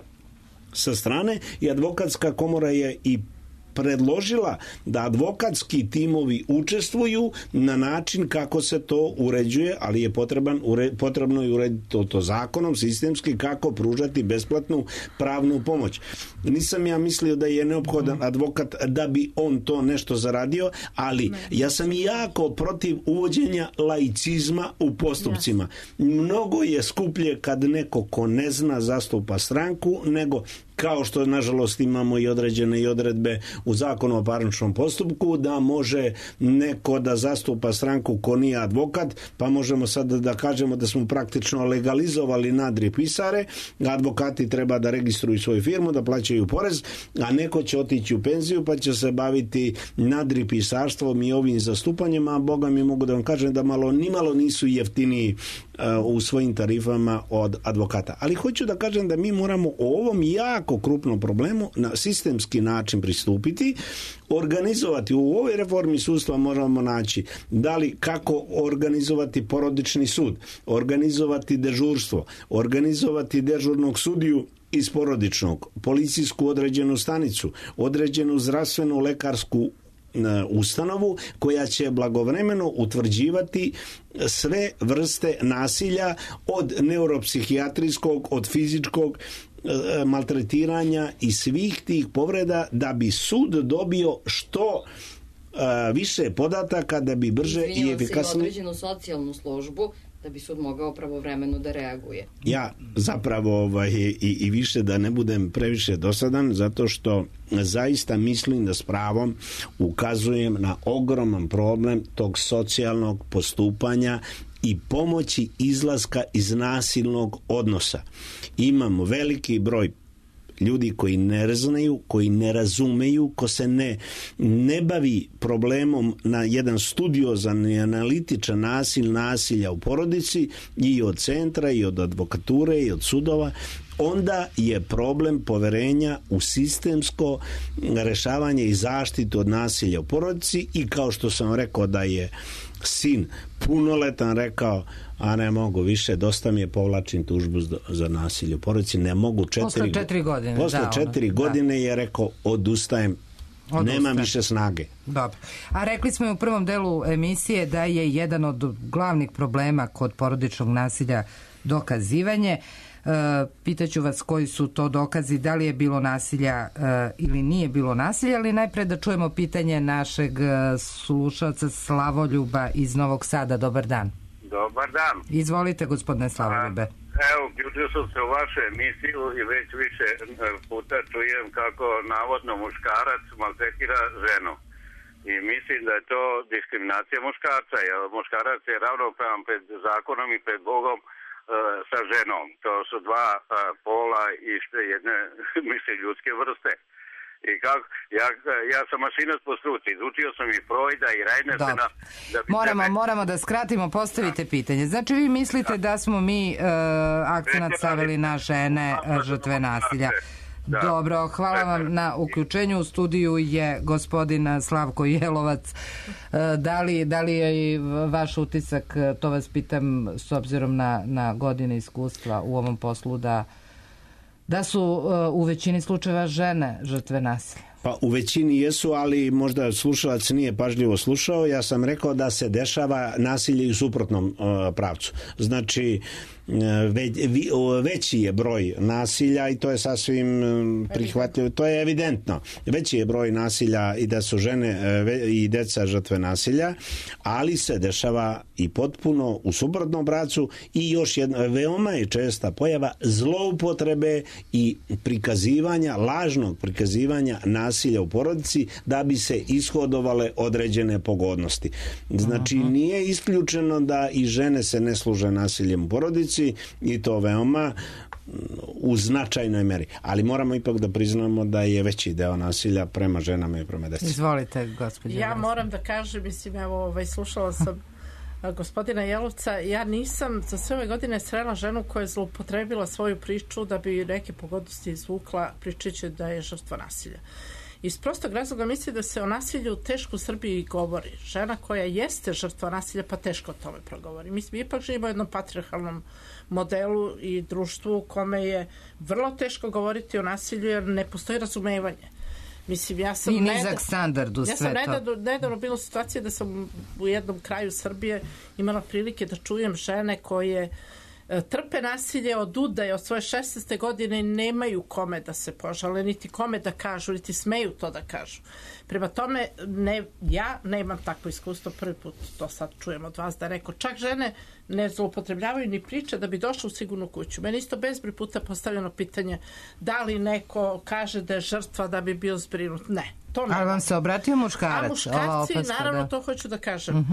sa strane, i advokatska komora je i predložila da advokatski timovi učestvuju na način kako se to uređuje, ali je potrebno i urediti to zakonom, sistemski, kako pružati besplatnu pravnu pomoć. Nisam ja mislio da je neophodan advokat da bi on to nešto zaradio, ali ja sam jako protiv uvođenja laicizma u postupcima. Mnogo je skuplje kad neko ko ne zna zastupa stranku, nego kao što nažalost imamo i određene i odredbe u zakonu o parničnom postupku, da može neko da zastupa stranku ko nije advokat, pa možemo sad da kažemo da smo praktično legalizovali nadripisare, advokati treba da registruju svoju firmu, da plaćaju porez, a neko će otići u penziju pa će se baviti nadripisarstvom i ovim zastupanjem, a Boga mi mogu da vam kažem da nimalo nisu jeftiniji u svojim tarifama od advokata. Ali hoću da kažem da mi moramo o ovom jako krupnom problemu na sistemski način pristupiti, organizovati. U ovoj reformi sudstva moramo naći da li kako organizovati porodični sud, organizovati dežurstvo, organizovati dežurnog sudiju iz porodičnog, policijsku određenu stanicu, određenu zdravstvenu lekarsku ustanovu koja će blagovremeno utvrđivati sve vrste nasilja, od neuropsihijatrijskog, od fizičkog maltretiranja i svih tih povreda, da bi sud dobio što više podataka, da bi brže i efikasnije određenu socijalnu službu, da bi sud mogao pravovremeno da reaguje. Ja zapravo i više da ne budem previše dosadan, zato što zaista mislim da s pravom ukazujem na ogroman problem tog socijalnog postupanja i pomoći izlaska iz nasilnog odnosa. Imamo veliki broj ljudi koji ne znaju, koji ne razumeju, ko se ne bavi problemom na jedan studiozan i analitičan nasilja u porodici, i od centra, i od advokature, i od sudova, onda je problem poverenja u sistemsko rešavanje i zaštitu od nasilja u porodici. I kao što sam rekao da je sin punoletan rekao, a ne mogu više, dosta mi je, povlačim tužbu za nasilje u porodici, ne mogu. Posle 4 godine. Posle 4 godine je rekao, odustajem. Nemam više snage. Dobro. A rekli smo i u prvom delu emisije da je jedan od glavnih problema kod porodičnog nasilja dokazivanje. Pitaću vas koji su to dokazi, da li je bilo nasilja ili nije bilo nasilja, ali najpre da čujemo pitanje našeg slušalca Slavoljuba iz Novog Sada. Dobar dan. Dobar dan. Izvolite, gospodine Slavoljube. Evo, uključio sam se u vašu emisiju i već više puta čujem kako navodno muškarac maltretira ženu. I mislim da je to diskriminacija muškarca, jer muškarac je ravnopravan pred zakonom i pred Bogom sa ženom. To su dva pola iste jedne, mislim, ljudske vrste. I kako, ja sam mašinac po struci, izučio sam i Freuda i Reinersena. Moramo da skratimo, postavite pitanje. Znači vi mislite da smo mi akcenat stavili na žene žrtve nasilja. Da. Dobro, hvala vam na uključenju. U studiju je gospodin Slavko Jelovac. Da li je i vaš utisak, to vas pitam s obzirom na godine iskustva u ovom poslu, da su u većini slučajeva žene žrtve nasilja? Pa u većini jesu, ali možda slušalac nije pažljivo slušao. Ja sam rekao da se dešava nasilje u suprotnom pravcu. Znači, veći je broj nasilja i to je sasvim prihvatljivo, to je evidentno. Veći je broj nasilja i da su žene i deca žrtve nasilja, ali se dešava i potpuno u suprotnom pravcu i još jedna veoma je česta pojava zloupotrebe i prikazivanja, lažnog prikazivanja nasilja u porodici da bi se ishodovale određene pogodnosti. Znači, nije isključeno da i žene se ne služe nasiljem u porodici i to veoma u značajnoj meri. Ali moramo ipak da priznamo da je veći deo nasilja prema ženama i prema deci. Izvolite, gospođo. Ja moram da kažem, mislim, evo, slušala sam gospodina Jelovca, ja nisam za sve ove godine srela ženu koja je zloupotrebila svoju priču da bi neke pogodnosti izvukla pričajući da je žrtva nasilja. Iz prostog razloga mislim da se o nasilju teško u Srbiji govori. Žena koja jeste žrtva nasilja pa teško o tome progovori. Mi ipak živimo u jednom patrijarhalnom modelu i društvu u kome je vrlo teško govoriti o nasilju jer ne postoji razumevanje. Mislim, ja sam nizak standard u sve to. Ja sam nedavno bila u situaciji da sam u jednom kraju Srbije imala prilike da čujem žene koje trpe nasilje od udaje od svoje 16. godine i nemaju kome da se požale, niti kome da kažu, niti smeju to da kažu. Prema tome, ja nemam takvo iskustvo, prvi put to sad čujem od vas, da neko, čak žene ne zloupotrebljavaju ni priče da bi došla u sigurnu kuću. Meni isto bezbroj puta postavljeno pitanje da li neko kaže da je žrtva da bi bio zbrinut. Ne. Ali vam se obratio muškarac? A muškarci, naravno, to hoću da kažem.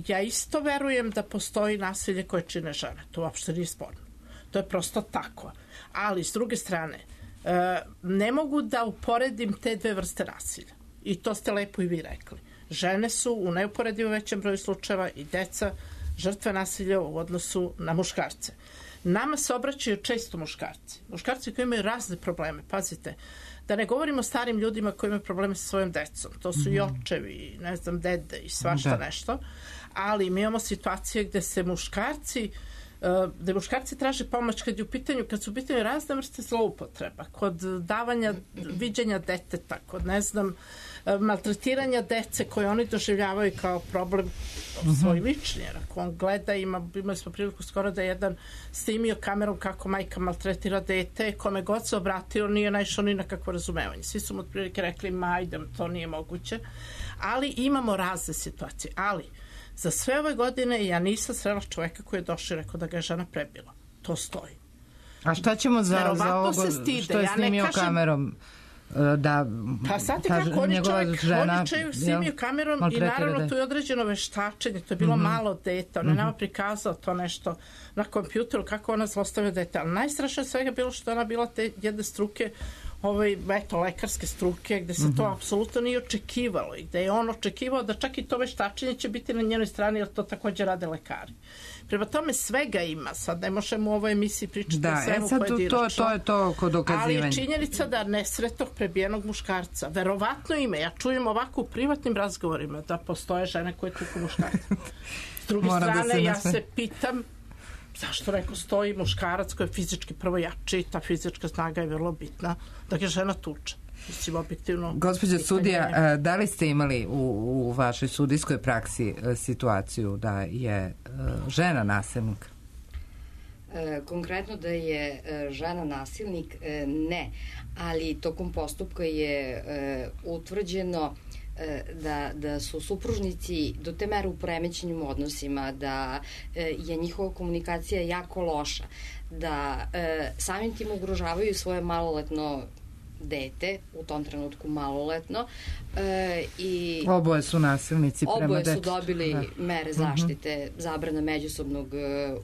Ja isto verujem da postoji nasilje koje čine žene. To uopšte nije sporno. To je prosto tako. Ali, s druge strane, ne mogu da uporedim te dve vrste nasilja. I to ste lepo i vi rekli. Žene su u neuporedivo većem broju slučajeva i deca žrtve nasilja u odnosu na muškarce. Nama se obraćaju često muškarci. Muškarci koji imaju razne probleme. Pazite, da ne govorimo o starim ljudima koji imaju probleme sa svojom decom. To su i očevi, ne znam, dede i svašta nešto. Ali mi imamo situacije gde se muškarci traže pomoć kad su u pitanju razne vrste zloupotreba, kod davanja viđenja deteta, kod, ne znam, maltretiranja dece koje oni doživljavaju kao problem svoj lični. Jer ako on gleda, imali smo priliku skoro da jedan snimio kamerom kako majka maltretira dete, kome god se obratio nije naišao ni na kakvo razumevanje. Svi su mu otprilike rekli, ajde, to nije moguće. Ali imamo razne situacije. Ali za sve ove godine ja nisam srela čoveka koji je došao i rekao da ga je žena prebila. To stoji. A šta ćemo za ovo što je snimio kamerom? Pa znate kako, on je snimio kamerom i naravno to je određeno veštačenje, to je bilo malo dete, on je nama prikazao to nešto na kompjuteru kako ona zlostavlja dete, ali najstrašnije svega bilo što ona bila te jedne struke, lekarske struke, gde se to apsolutno nije očekivalo i gde je on očekivao da čak i to veštačenje će biti na njenoj strani, jer to takođe rade lekari. Prema tome svega ima, sad ne možemo u ovoj emisiji pričati o svemu pojedinačno. To je to kod dokazivanja. Ali je činjenica da nesretnog prebijenog muškarca, verovatno ima, ja čujem ovako u privatnim razgovorima da postoje žene koje tuku muškarca. S druge strane, ja se pitam zašto stoji muškarac koji je fizički prvo jači, ta fizička snaga je vrlo bitna, da ga žena tuče. Mislim, objektivno... Gospođa sudija, da li ste imali u vašoj sudijskoj praksi situaciju da je žena nasilnik? Konkretno da je žena nasilnik, ne. Ali tokom postupka je utvrđeno da su supružnici do te mere u poremećenim odnosima, da je njihova komunikacija jako loša, da samim tim ugrožavaju svoje maloletno dete, u tom trenutku maloletno. Oboje su nasilnici prema detetu. Oboje su dobili mere zaštite, zabrana međusobnog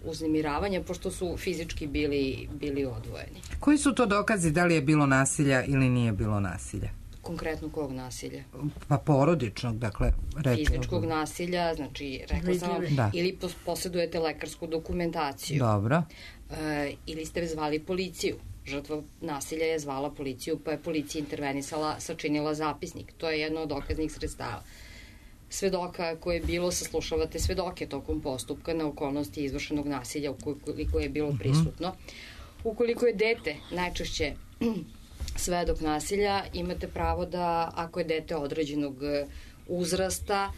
uznemiravanja, pošto su fizički bili odvojeni. Koji su to dokazi da li je bilo nasilja ili nije bilo nasilja? Konkretno kog nasilja? Pa porodičnog, dakle, reći. Fizičkog nasilja, znači, rekla sam vam, ili posjedujete lekarsku dokumentaciju. Dobro. Ili ste zvali policiju. Žrtva nasilja je zvala policiju, pa je policija intervenisala, sačinila zapisnik. To je jedno od dokaznih sredstava. Svedoka koje je bilo, saslušavate svedoke tokom postupka na okolnosti izvršenog nasilja ukoliko je bilo prisutno. Ukoliko je dete najčešće svedok nasilja, imate pravo da, ako je dete određenog uzrasta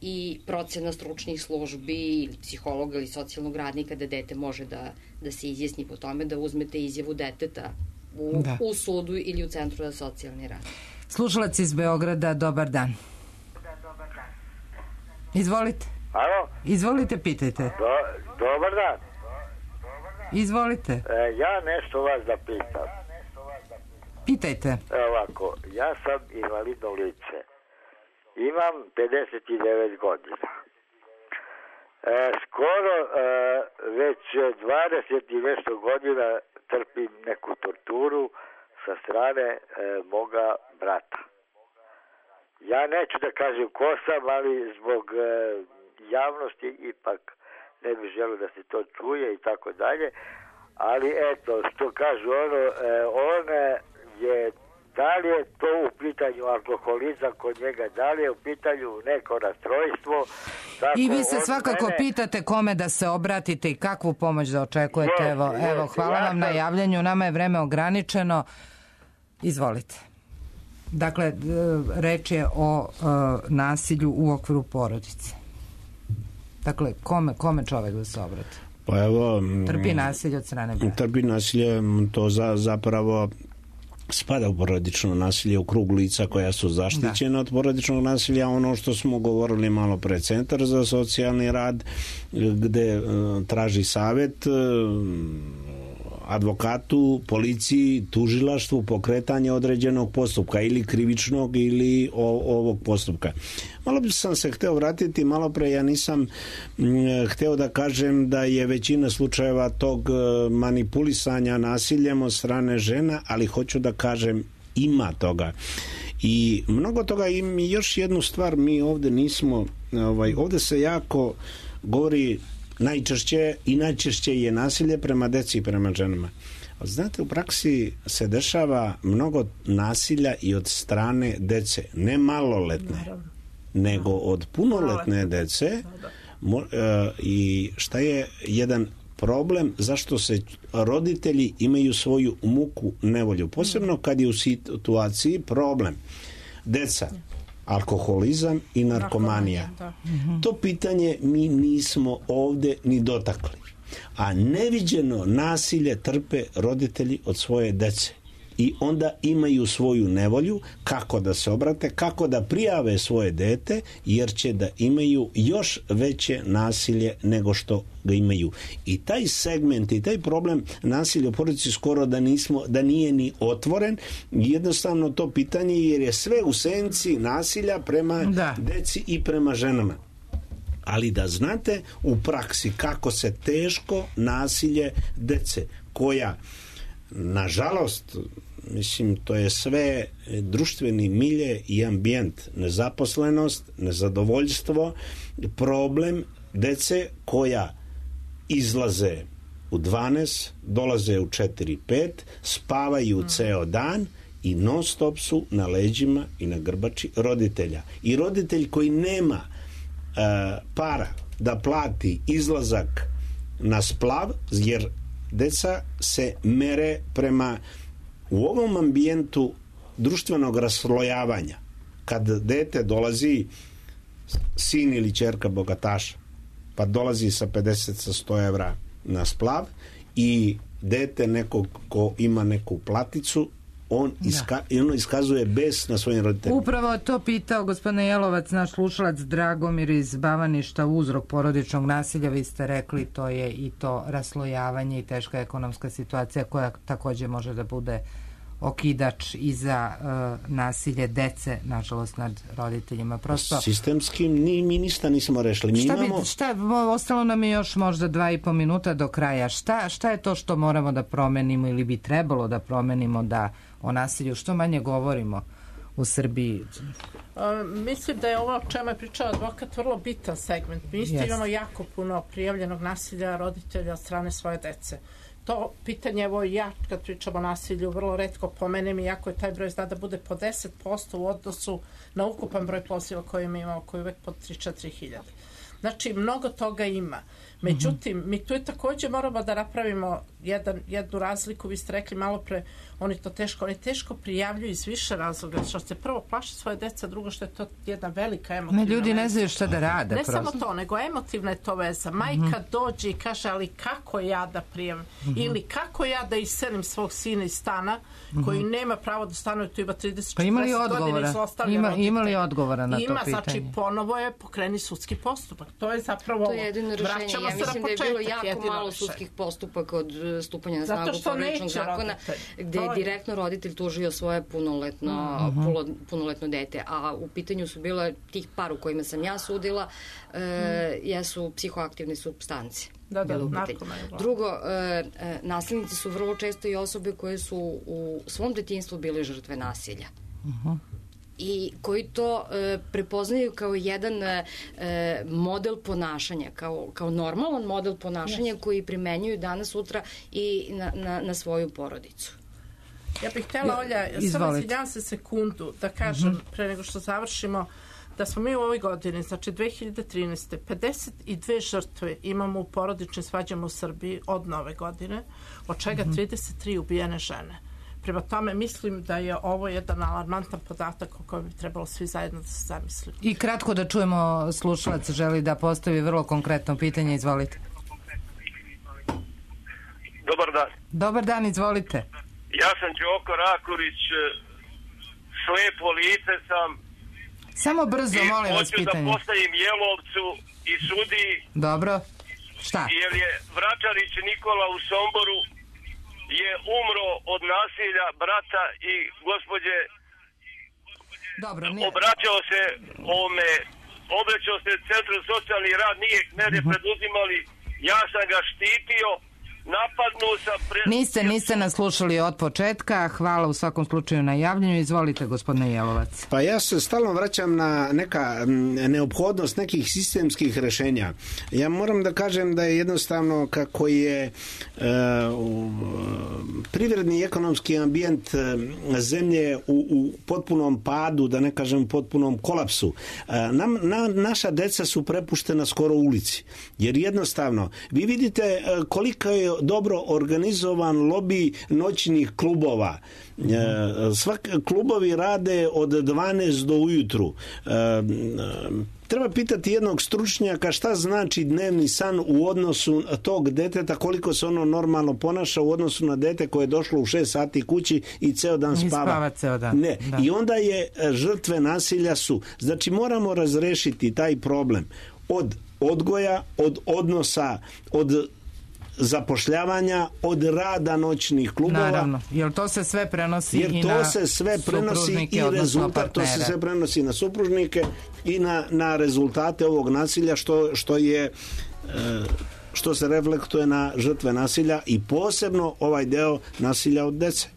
i procena stručnih službi ili psihologa ili socijalnog radnika, da dete može da se izjasni po tome, da uzmete izjavu deteta u sudu ili u Centru za socijalni rad. Slušalac iz Beograda, dobar dan. Izvolite. Alo? Izvolite, pitajte. Dobar dan. Izvolite. Ja nešto vas da pitam. Pitajte. Ovako, ja sam invalidno lice. Imam 59 godina. Skoro već 20 i nešto godina trpim neku torturu sa strane moga brata. Ja neću da kažem ko sam, ali zbog javnosti ipak ne bih želeo da se to čuje i tako dalje. Ali eto, što kažu on je, da li je to u pitanju alkoholizam kod njega, da li je u pitanju neko rastrojstvo. I vi se svakako pitate kome da se obratite i kakvu pomoć da očekujete. Evo, hvala vam na javljanju, nama je vreme ograničeno. Izvolite. Dakle, reč je o nasilju u okviru porodice. Dakle, kome čovek da se obrati? Pa evo... Trpi nasilje od strane brata. Trpi nasilje, to zapravo spada u porodično nasilje, u krug lica koja su zaštićena od porodičnog nasilja. Ono što smo govorili malo pre, Centar za socijalni rad, gde traži savet advokatu, policiji, tužilaštvu, pokretanje određenog postupka ili krivičnog ili ovog postupka. Malo bi sam se hteo vratiti, malo pre ja nisam hteo da kažem da je većina slučajeva tog manipulisanja nasiljem od strane žena, ali hoću da kažem ima toga. I mnogo toga. I još jednu stvar, mi ovde nismo, ovde se jako govori najčešće je nasilje prema deci i prema ženama. Znate, u praksi se dešava mnogo nasilja i od strane dece, ne maloletne, nego od punoletne dece. I šta je jedan problem, zašto se roditelji imaju svoju muku, nevolju, posebno kad je u situaciji problem deca, alkoholizam i narkomanija. To pitanje mi nismo ovde ni dotakli. A neviđeno nasilje trpe roditelji od svoje dece. I onda imaju svoju nevolju kako da se obrate, kako da prijave svoje dete, jer će da imaju još veće nasilje nego što ga imaju. I taj segment i taj problem nasilja u porodici skoro da nije ni otvoren. Jednostavno to pitanje, jer je sve u senci nasilja prema deci i prema ženama. Ali da znate u praksi kako se teško nasilje dece, koja nažalost, mislim, to je sve društveni milje i ambijent, nezaposlenost, nezadovoljstvo, problem dece koja izlaze u 12, dolaze u 4-5, spavaju ceo dan i non stop su na leđima i na grbači roditelja. I roditelj koji nema para da plati izlazak na splav, jer deca se mere prema u ovom ambijentu društvenog raslojavanja. Kad dete dolazi, sin ili ćerka bogataša, pa dolazi sa 50 sa 100 evra na splav i dete nekog ko ima neku platicu, on iskazuje bes na svojim roditeljima. Upravo to pitao gospodine Jelovac, naš slušalac Dragomir iz Bavaništa, uzrok porodičnog nasilja. Vi ste rekli, to je i to raslojavanje i teška ekonomska situacija koja takođe može da bude okidač i za nasilje dece, nažalost, nad roditeljima. Prosto sistemskim mi ništa nismo rešili. Ostalo nam je još možda 2,5 minuta do kraja. Šta je to što moramo da promenimo ili bi trebalo da promenimo da o nasilju što manje govorimo u Srbiji? Mislim da je ovo o čemu je pričao advokat vrlo bitan segment. Mi isto imamo jako puno prijavljenog nasilja roditelja od strane svoje dece. To pitanje, evo ja kad pričam o nasilju vrlo retko pomenem, iako je taj broj zna da bude po 10% u odnosu na ukupan broj poziva koji mi imamo, koji je uvek po 3-4 hiljade. Znači, mnogo toga ima. Međutim, mi tu takođe moramo da napravimo jednu razliku, vi ste rekli malo pre, oni teško prijavljuju iz više razloga, što se prvo plaši svoje deca, drugo što je to jedna velika emotivna veza. Ljudi ne znaju šta da rade. Ne samo to, nego emotivna je to veza. Majka dođe i kaže, ali kako ja da prijavim? Ili kako ja da iselim svog sina iz stana koji nema pravo da stanuje, tu ima 30-40 godina i zlostavlja roditelja. Ima li odgovora na to pitanje? Znači, ponovo je pokreni sudski postupak. To je zapravo to je jedino rešenje. Ja mislim da je bilo jako malo sudskih postupaka od stupanja na snagu porodičnog zakona, gde je direktno roditelj tužio svoje punoletno dete. A u pitanju su bila tih par u kojima sam ja sudila, jesu psihoaktivne supstance. Da, drugo, nasilnici su vrlo često i osobe koje su u svom detinjstvu bile žrtve nasilja. I koji to prepoznaju kao jedan model ponašanja, kao normalan model ponašanja koji primenjuju danas, sutra i na svoju porodicu. Ja bih htjela, Olja, samo izvinjavam se sekundu da kažem pre nego što završimo, da smo mi u ovoj godini, znači 2013. 52 žrtve imamo u porodičnim svađama u Srbiji od nove godine, od čega 33 ubijene žene. Prema tome, mislim da je ovo jedan alarmantan podatak o kojem bi trebalo svi zajedno da se zamislimo. I kratko da čujemo, slušalac želi da postavi vrlo konkretno pitanje, izvolite. Dobar dan. Dobar dan, izvolite. Ja sam Đoko Rakurić, slepo lice sam. Samo brzo, molim vas, pitanje. I hoću da postavim Jelovcu i sudiji. Dobro. Šta? Jer je Vračarić Nikola u Somboru je umro od nasilja brata i gospođe. Dobro, obraćao se Centru za socijalni rad, nije mere preduzimali, ja sam ga štitio, napadnuo sam... Niste nas slušali od početka, hvala u svakom slučaju na javljanju, izvolite gospodine Jelovac. Pa ja se stalno vraćam na neka neophodnost nekih sistemskih rešenja. Ja moram da kažem da je jednostavno kako je privredni i ekonomski ambijent zemlje u potpunom padu, da ne kažem potpunom kolapsu. Naša deca su prepuštena skoro ulici, jer jednostavno vi vidite koliko je dobro organizovan lobi noćnih klubova. Klubovi rade od 12 do ujutru. Treba pitati jednog stručnjaka šta znači dnevni san u odnosu tog deteta, koliko se ono normalno ponaša u odnosu na dete koje je došlo u 6 sati kući i ceo dan spava. Ne. Da. I onda je žrtve nasilja su. Znači moramo razrešiti taj problem od odgoja, od odnosa, od zapošljavanja, od rada noćnih klubova. Naravno, jer to se sve prenosi i na supružnike, odnosno partnere. To se sve prenosi na supružnike i na rezultate ovog nasilja što se reflektuje na žrtve nasilja i posebno ovaj deo nasilja od dece.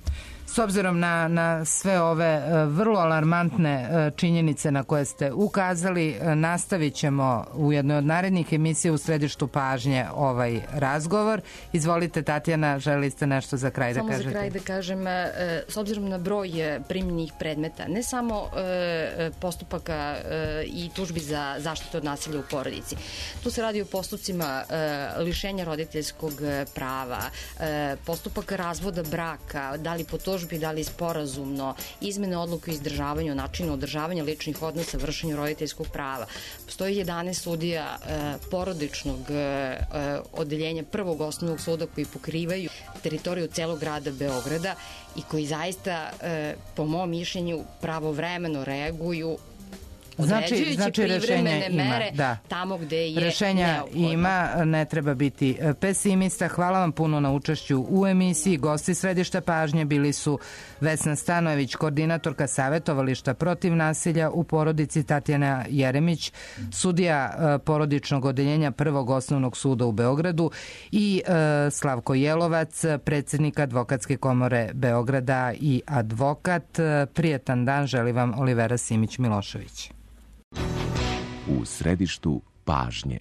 S obzirom na sve ove vrlo alarmantne činjenice na koje ste ukazali, nastavit ćemo u jednoj od narednih emisija u središtu pažnje ovaj razgovor. Izvolite, Tatjana, želi ste nešto za kraj da kažete? Samo za kraj da kažem, s obzirom na broj primljenih predmeta, ne samo postupaka i tužbi za zaštitu od nasilja u porodici. Tu se radi o postupcima lišenja roditeljskog prava, postupaka razvoda braka, da li po tužbi, da li sporazumno, izmene odluke o izdržavanju, načinu održavanja ličnih odnosa, vršenju roditeljskog prava. Postoji 11 sudija porodičnog odeljenja Prvog osnovnog suda koji pokrivaju teritoriju celog grada Beograda i koji zaista, po mom mišljenju, pravovremeno reaguju određujući privremene mere tamo gde je rešenja neophodno. Ima, ne treba biti pesimista. Hvala vam puno na učešću u emisiji. Gosti središta pažnje bili su Vesna Stanojević, koordinatorka Savetovališta protiv nasilja u porodici, Tatjana Jeremić, sudija porodičnog odeljenja Prvog osnovnog suda u Beogradu i Slavko Jelovac, predsjednik Advokatske komore Beograda i advokat. Prijetan dan želi vam Olivera Simić-Milošević. U središtu pažnje.